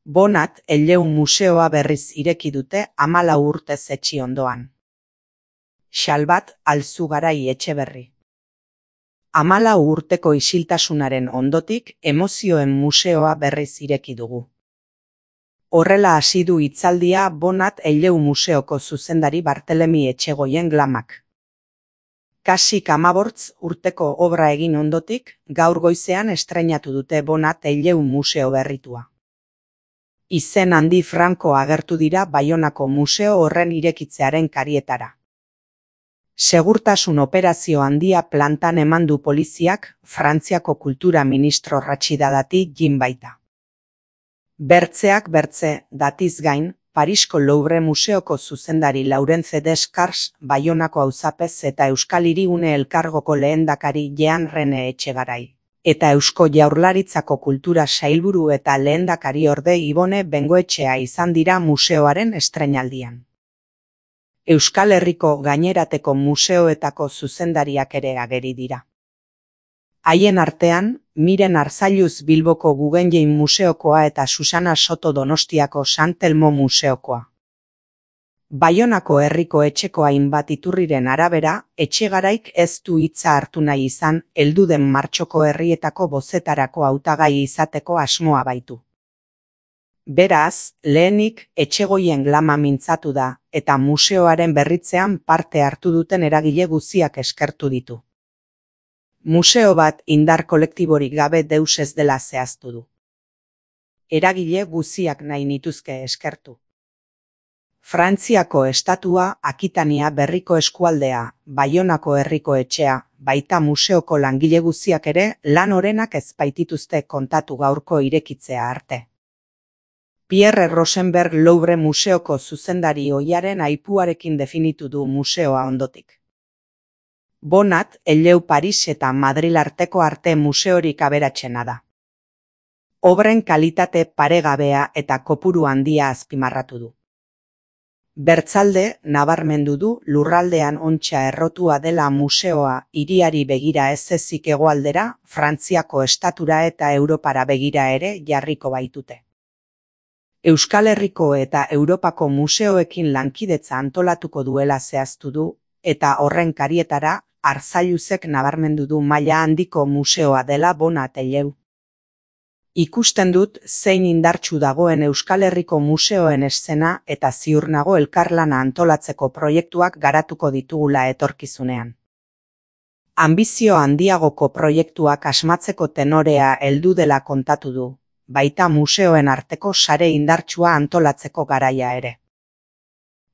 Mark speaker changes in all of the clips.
Speaker 1: Bonat Elleu museoa berriz ireki dute 14 urtez etsi ondoan. Xalbat Alzugarai Etxeberri. 14 urteko isiltasunaren ondotik emozioen museoa berriz ireki dugu. Horrela hasi du hitzaldia Bonat Elleu museoko zuzendari Bartelemi Etxegoien glamak. Kasik 15 urteko obra egin ondotik, gaur goizean estreinatu dute Bonat Elleu museo berritua. Izen handi franko agertu dira Baionako museo horren irekitzearen karietara. Segurtasun operazio handia plantan eman du poliziak Frantziako kultura ministro Ratxida Dati jin baita. Bertzeak bertze, datiz gain, Parisko Louvre museoko zuzendari Laurence Descartes, Baionako auzapez eta Euskal Hirigune Elkargoko lehendakari Jean Rene Etxegarai. Eta Eusko Jaurlaritzako kultura sailburu eta lehendakariorde Ibone Bengoetxea izan dira museoaren estreinaldian. Euskal Herriko gainerateko museoetako zuzendariak ere ageri dira. Haien artean, Miren Arzailuz Bilboko Guggenheim museokoa eta Susana Soto Donostiako Sant Telmo museokoa. Baionako herriko etxeko hainbat iturriren arabera, Etxegaraik ez du hitza hartu nahi izan, heldu den martxoko herrietako bozetarako hautagai izateko asmoa baitu. Beraz, lehenik Etxegoien glama mintzatu da, eta museoaren berritzean parte hartu duten eragile guztiak eskertu ditu. Museo bat indar kolektiborik gabe deus ez dela zehaztu du. Eragile guztiak nahi nituzke eskertu. Frantziako estatua, Akitania berriko eskualdea, Baionako herriko etxea, baita museoko langile guztiak ere lan orenak ez baitituzte kontatu gaurko irekitzea arte. Pierre Rosenberg Louvre museoko zuzendari ohiaren aipuarekin definitu du museoa ondotik. Bonat Elleu Paris eta Madril arteko arte museorik aberatsena da. Obren kalitate paregabea eta kopuru handia azpimarratu du. Bertzalde, nabarmendu du lurraldean ontsa errotua dela museoa hiriari begira ez ezik hegoaldera, Frantziako estatura eta Europara begira ere jarriko baitute. Euskal Herriko eta Europako museoekin lankidetza antolatuko duela zehaztu du, eta horren karietara, Arzailuzek nabarmendu du maila handiko museoa dela Bonat Elleu. Ikusten dut zein indartsu dagoen Euskal Herriko museoen eszena eta ziur nago elkarlana antolatzeko proiektuak garatuko ditugula etorkizunean. Anbizio handiagoko proiektuak asmatzeko tenorea heldu dela kontatu du, baita museoen arteko sare indartsua antolatzeko garaia ere.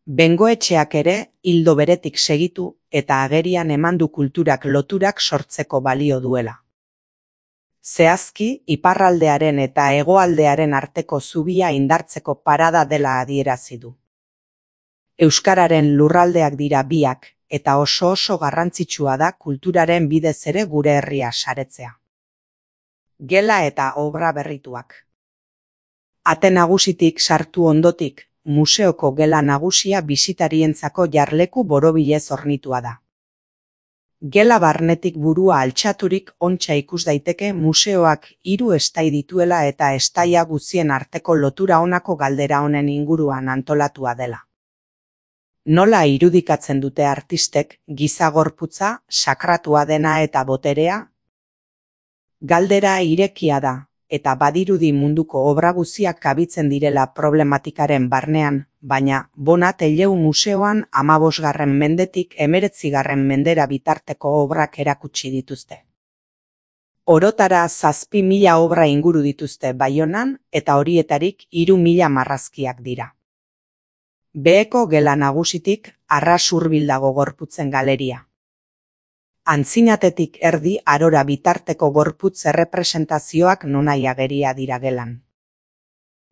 Speaker 1: Bengoetxeak ere ildo beretik segitu eta agerian eman du kulturak loturak sortzeko balio duela. Zehazki, iparraldearen eta hegoaldearen arteko zubia indartzeko parada dela adierazi du. Euskararen lurraldeak dira biak, eta oso garrantzitsua da kulturaren bidez ere gure herria saretzea. Gela eta obra berrituak. Ate nagusitik sartu ondotik, museoko gela nagusia bisitarientzako jarleku borobilez hornitua da. Gela barnetik burua altxaturik ontsa ikus daiteke museoak 3 estai dituela eta estaia guztien arteko lotura honako galdera honen inguruan antolatua dela. Nola irudikatzen dute artistek giza gorputza, sakratua dena eta boterea? Galdera irekia da, eta badirudi munduko obra guztiak kabitzen direla problematikaren barnean, baina Bonat Elleu museoan 15. mendetik 19. mendera bitarteko obrak erakutsi dituzte. Orotara 7.000 obra inguru dituzte Baionan eta horietarik 3.000 marrazkiak dira. Beheko gela nagusitik arras hurbil dago gorputzen galeria. Antzinatetik erdi arora bitarteko gorputz errepresentazioak nonai ageria dira gelan.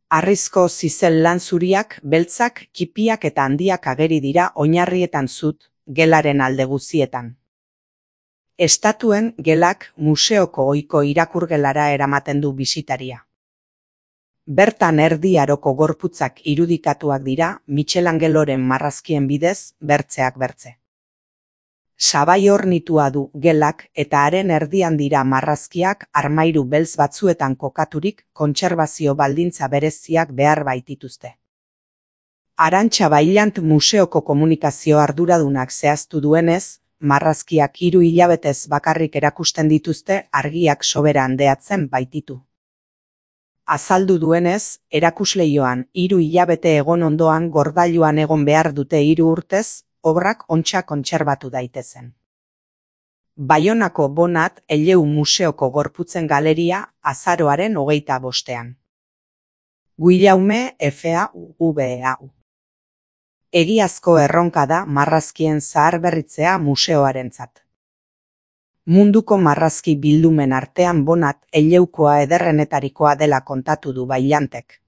Speaker 1: Harrizko zizel lan zuriak, beltzak, kipiak eta handiak ageri dira oinarrietan zut, gelaren alde guzietan. Estatuen gelak museoko ohiko irakurgelara eramaten du bisitaria. Bertan erdi aroko gorputzak irudikatuak dira Michelangeloren marrazkien bidez, bertzeak bertze. Sabai hornitua du gelak eta haren erdian dira marrazkiak armairu beltz batzuetan kokaturik kontserbazio baldintza bereziak behar baitituzte. Arantxa Bailant museoko komunikazio arduradunak zehaztu duenez, marrazkiak 3 hilabetez bakarrik erakusten dituzte argiak sobera handeatzen baititu. Azaldu duenez, erakusleioan 3 hilabete egon ondoan gordailuan egon behar dute 3 urtez, obrak ontsa kontserbatu daitezen. Baionako Bonat Eleu Museoko Gorputzen Galeria azaroaren 25. Guillaume FAUVEAU. Egiazko erronka da marrazkien zaharberritzea museoarentzat. Munduko marrazki bildumen artean Bonat Eleukoa ederrenetarikoa dela kontatu du Bailantek.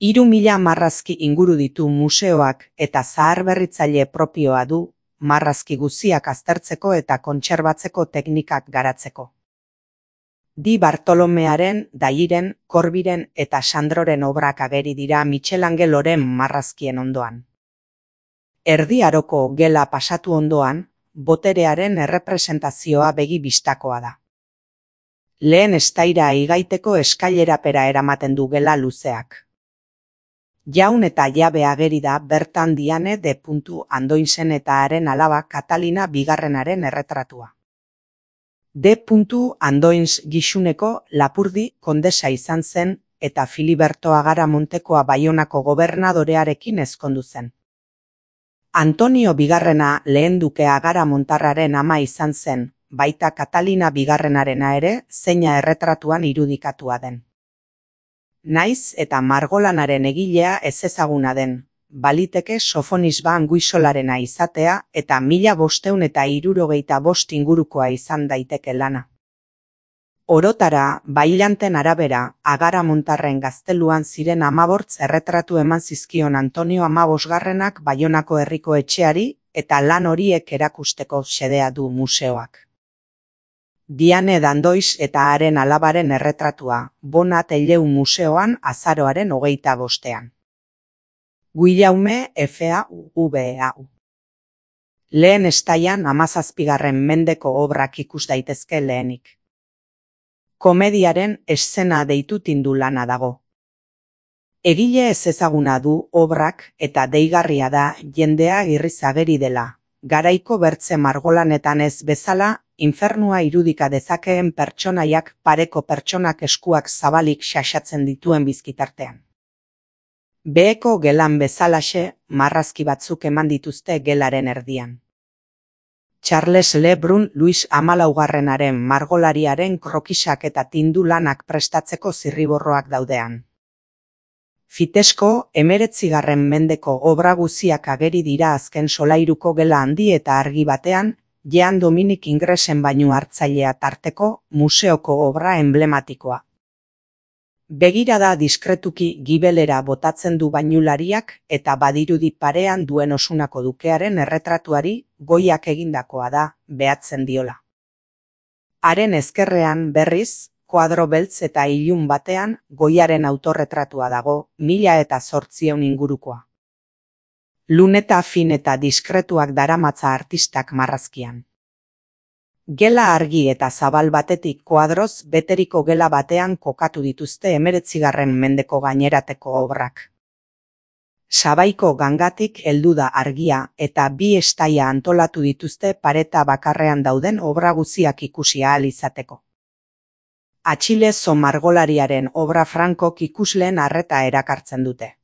Speaker 1: 3000 marrazki inguru ditu museoak eta zaharberritzaile propioa du marrazki guziak aztertzeko eta kontserbatzeko teknikak garatzeko. Di Bartolomearen, Dairen, Corbiren eta Sandroren obrak ageri dira Michelangeloren marrazkien ondoan. Erdi Aroko gela pasatu ondoan, boterearen errepresentazioa begi bistakoa da. Lehen estaira igaiteko eskailerapera eramaten du gela luzeak. Jaun eta jabe ageri da bertan Diane de Andoinsen eta haren alaba Katalina bigarrenaren erretratua. De Andoins Gixuneko Lapurdi kondesa izan zen eta Filiberto Agaramontekoa Baionako gobernadorearekin ezkondu zen. Antonio bigarrena lehen duke Agaramontarraren ama izan zen, baita Katalina bigarrenarena ere zeina erretratuan irudikatua den. Naiz eta margolanaren egilea ezezaguna den, baliteke Sofonisba Anguissolarena izatea eta 1565 ingurukoa izan daiteke lana. Orotara, Bailanten arabera, Agaramontarren gazteluan ziren 15 erretratu eman zizkion Antonio 15garrenak Baionako herriko etxeari eta lan horiek erakusteko xedea du museoak. Diane d'Andois eta haren alabaren erretratua, Bonat Eleu museoan azaroaren 25. Guillaume FAUVEAU. Lehen estaian 17. mendeko obrak ikus daitezke lehenik. Komediaren eszena deitu tindu lana dago. Egile ezezaguna du obrak eta deigarria da jendea irriz ageri dela. Garaiko bertze margolanetan ez bezala, infernua irudika dezakeen pertsonaiak pareko pertsonak eskuak zabalik xaxatzen dituen bizkitartean. Beheko gelan bezalaxe, marrazki batzuk eman dituzte gelaren erdian. Charles Le Brun Luis XIV margolariaren krokisak eta tindu lanak prestatzeko zirriborroak daudean. Fitesko 19. mendeko obra guziak ageri dira azken solairuko gela handi eta argi batean, Jean Dominique Ingresen bainu hartzailea tarteko museoko obra emblematikoa. Begirada diskretuki gibelera botatzen du bainulariak eta badirudi parean duen Osunako dukearen erretratuari goiak egindakoa da, behatzen diola. Haren ezkerrean berriz, koadro beltz eta ilun batean goiaren autorretratua dago 1800 ingurukoa. Luneta fin eta diskretuak daramatza artistak marrazkian. Gela argi eta zabal batetik koadroz beteriko gela batean kokatu dituzte 19. mendeko gainerateko obrak. Sabaiko gangatik heldu da argia eta 2 estaia antolatu dituzte pareta bakarrean dauden obra guziak ikusi ahal izateko. Atxilezo margolariaren obra frankok ikusleen arreta erakartzen dute.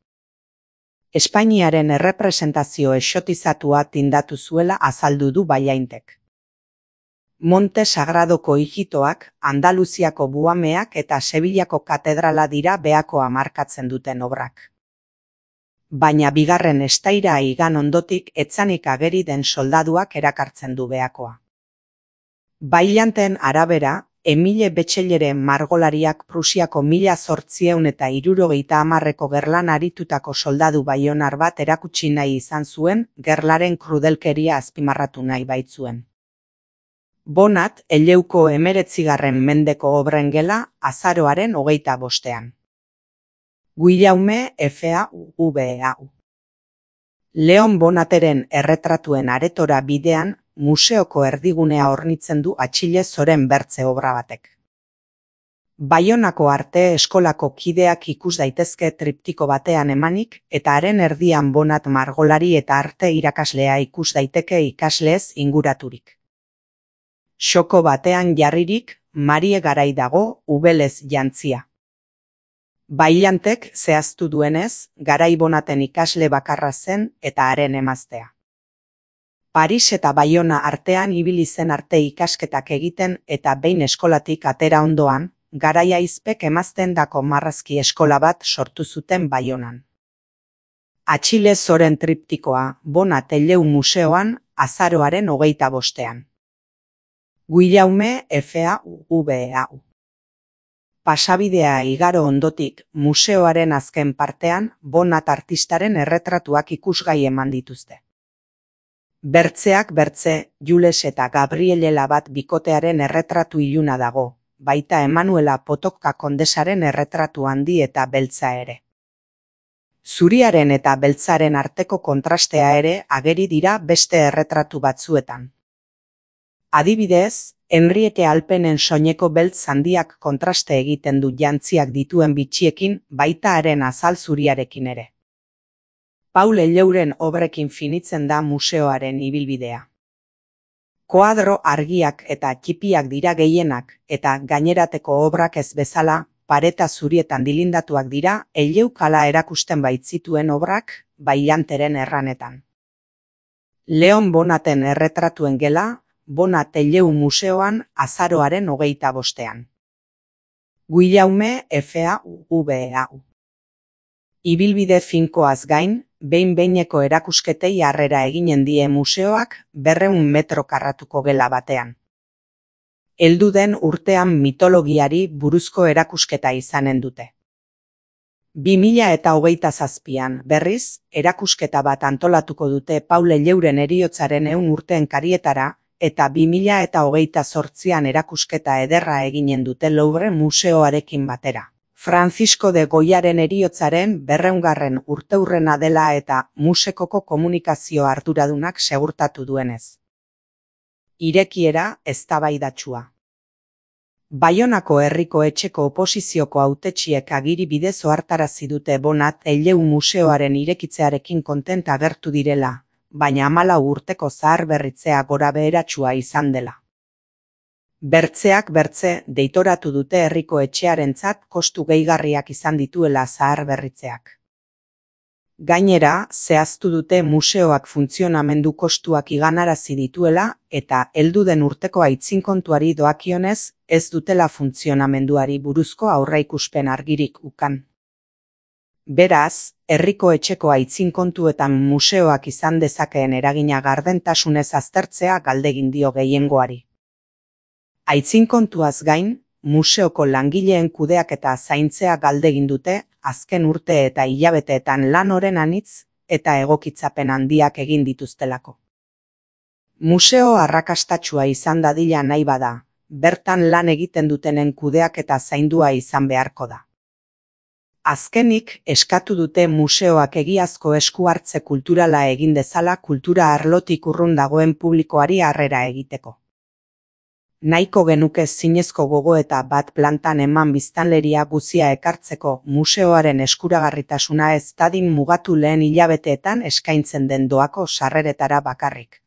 Speaker 1: Espainiaren errepresentazio exotizatua tindatu zuela azaldu du Bailaintek. Monte Sagradoko hijitoak, Andaluziako buhameak eta Sevillako katedrala dira behakoa markatzen duten obrak. Baina bigarren estaira igan ondotik etzanik ageri den soldaduak erakartzen du behakoa. Bailanten arabera, Emile Betxellere margolariak Prusiako 1870ko gerlan aritutako soldadu baionar bat erakutsi nahi izan zuen, gerlaren krudelkeria azpimarratu nahi baitzuen. Bonat Eleuko 19. mendeko obren gela azaroaren 25. Guillaume FAUVEAU. Leon Bonateren erretratuen aretora bidean, museoko erdigunea hornitzen du Atxile Zoren Bertze obra batek. Baionako arte eskolako kideak ikus daitezke triptiko batean emanik, eta haren erdian Bonat margolari eta arte irakaslea ikus daiteke ikaslez inguraturik. Xoko batean jarririk, Marie Garai dago ubelez jantzia. Bailantek zehaztu duenez, Garai Bonaten ikasle bakarra zen eta haren emaztea. Paris eta Baiona artean ibili zen arte ikasketak egiten eta behin eskolatik atera ondoan, Garai aizpek emaztendako marrazki eskola bat sortu zuten Baionan. Atxile Zoren triptikoa Bonat Eleu museoan azaroaren 25. Guillaume FAUVEAU. Pasabidea igaro ondotik, museoaren azken partean Bonat artistaren erretratuak ikusgai eman dituzte. Bertzeak bertze, Jules eta Gabriele bat bikotearen erretratu iluna dago, baita Emanuela Potocka kondesaren erretratu handi eta beltza ere. Zuriaren eta beltzaren arteko kontrastea ere ageri dira beste erretratu batzuetan. Adibidez, Henriette Alpenen soineko beltz handiak kontraste egiten du jantziak dituen bitxiekin, baita haren azal zuriarekin ere. Paul Elleuren obrekin finitzen da museoaren ibilbidea. Koadro argiak eta txipiak dira gehienak, eta gainerateko obrak ez bezala, pareta zurietan dilindatuak dira Elleukala erakusten baitzituen obrak, Bailanteren erranetan. Leon Bonaten erretratuen gela, Bonat Elleu museoan azaroaren 25. Guillaume FAUVEAU. Ibilbide finkoaz gain, behin-behineko erakusketei harrera eginen die museoak 200 metro karratuko gela batean. Heldu den urtean mitologiari buruzko erakusketa izanen dute. 2027an, berriz, erakusketa bat antolatuko dute Paul Elleuren heriotzaren 100 urteen karietara, eta 2028an erakusketa ederra eginen dute Louvre museoarekin batera. Francisco de Goyaren heriotzaren 200. urteurrena dela eta musekoko komunikazio arduradunak segurtatu duenez. Irekiera eztabaidatsua. Baionako herriko etxeko oposizioko hautetsiek agiri bidez ohartarazi dute Bonat Elleu museoaren irekitzearekin kontent agertu direla, baina 14 urteko zaharberritzea gorabeheratsua izan dela. Bertzeak bertze deitoratu dute herriko etxearentzat kostu gehigarriak izan dituela zaharberritzeak. Gainera, zehaztu dute museoak funtzionamendu kostuak iganarazi dituela eta heldu den urteko aitzinkontuari doakionez ez dutela funtzionamenduari buruzko aurreikuspen argirik ukan. Beraz, herriko etxeko aitzinkontuetan museoak izan dezakeen eragina gardentasunez aztertzea galdegin dio gehiengoari. Aitzinkontuaz gain, museoko langileen kudeaketa zaintzea galdegin dute azken urte eta hilabeteetan lan oren anitz eta egokitzapen handiak egin dituztelako. Museo arrakastatsua izan dadila nahi bada, bertan lan egiten dutenen kudeaketa zaindua izan beharko da. Azkenik, eskatu dute museoak egiazko esku hartze kulturala egin dezala kultura arlotik urrun dagoen publikoari harrera egiteko. Nahiko genuke zinezko gogoeta bat plantan eman biztanleria guzia ekartzeko museoaren eskuragarritasuna ez dadin mugatu lehen hilabeteetan eskaintzen den doako sarreretara bakarrik.